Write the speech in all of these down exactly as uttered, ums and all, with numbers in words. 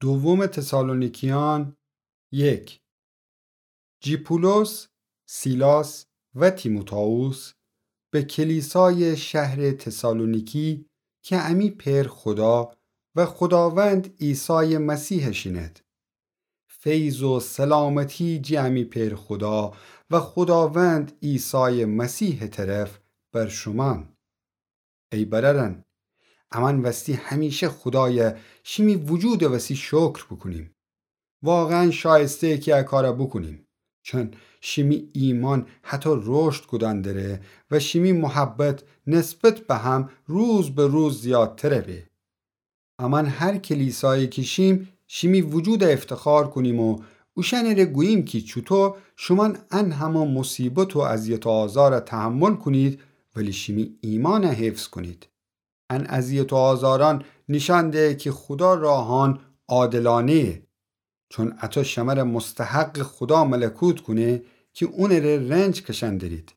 دوم تسالونیکیان یک. جی پولس، سیلاس و تیموتائوس به کلیسای شهر تسالونیکی کی امی پئر خودا و خوداوند عیسای مسیحٚ شینید. فیض و سلامتی جی امی پئر خودا و خوداوند عیسای مسیحٚ طرف بر شومأن. ای برأرأن، امأن وستی همیشه خودای شیمی وجودٚ وسی شکر بوکونیم. واقعاً شایسته‌یه کی ا کار بوکونیم، چون شیمی ایمأن هطو رشد کودن دره و شیمی محبت نسبت به هم روز به روز زیادتر به. امأن هر کلیسایی کی شیم، شیمی وجود افتخار کونیم و اوشأنٚره گوییم کی چوطو شومأن ان همه مصیبت و اذیت و آزار تحمل کونید، ولی شیمی ایمأن حفظ کونید. ان اذیت و آزارأن نیشأن دهه کی خودا راهأن عادلانه‌یه، چون اطو شمره مستحقٚ خودا ملکوت کونه کی اونٚره رنج کشأن درید.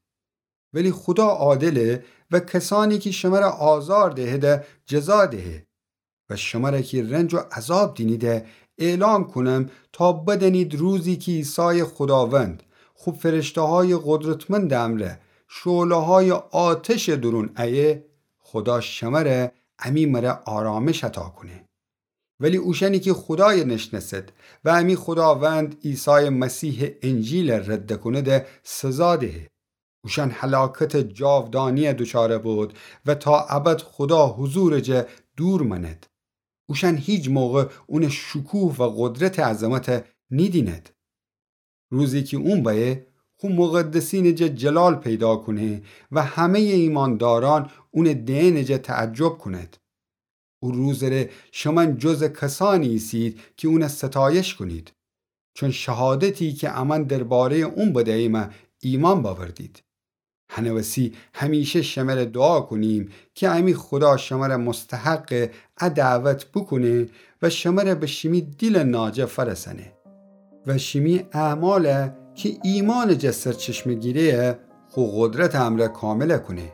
ولی خودا عادله و کسأنی کی شمره آزار دهیده جزا دهه. و شمره کی رنج و عذاب دینیده اعلام کونم تا بدأنید روزی کی عیسای خوداوند خو فرشته‌های قدرتمندٚ امرأ شعله‌های آتشٚ دورون ایه، خودا شمره امی مره آرامش عطا کونه. ولی اوشأنی کی خودای نشنأسد و امی خوداوند عیسای مسیحٚ انجیل رد کونده سزا دهه. اوشأن هلاکتٚ جاودانی‌یه دوچار بود و تا ابد خودا حضورٚ جه دور مأند. اوشأن هیچ موقع اونٚ شکوه و قدرتٚ عظمت نیدیند. روزی کی اون بأیه، خو مقدسینٚ جه جلال پیدا کونه و همه‌یٚ ایمأندارأن اونٚ دئنٚ جه تعجب کونید. او روزٚ ره شمأن جزٚ کسأنی ایسید کی اون ستایش کونید، چون شهادتی کی امأن درباره‌یٚ اون بدییمه ایمأن بأوردید. هنٚ وسی همیشه شمره دوعا کونیم کی امی خودا شمره مستحقٚ ا دعوت بوکونه و شمره به شیمی دیلٚ ناجه فأرسأنه و شیمی اعماله کی ایمأنٚ جه سرچشمه گیره خو قدرتٚ امرأ کامل کونه،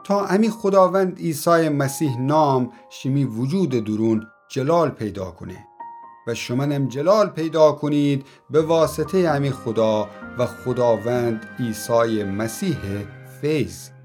تا امی خوداوند عیسای مسیح نام شیمی وجودٚ دورون جلال پیدا کونه و شمأنم جلال پیدا کونید به واسطه‌یٚ امی خودا و خوداوند عیسای مسیحٚ فیض.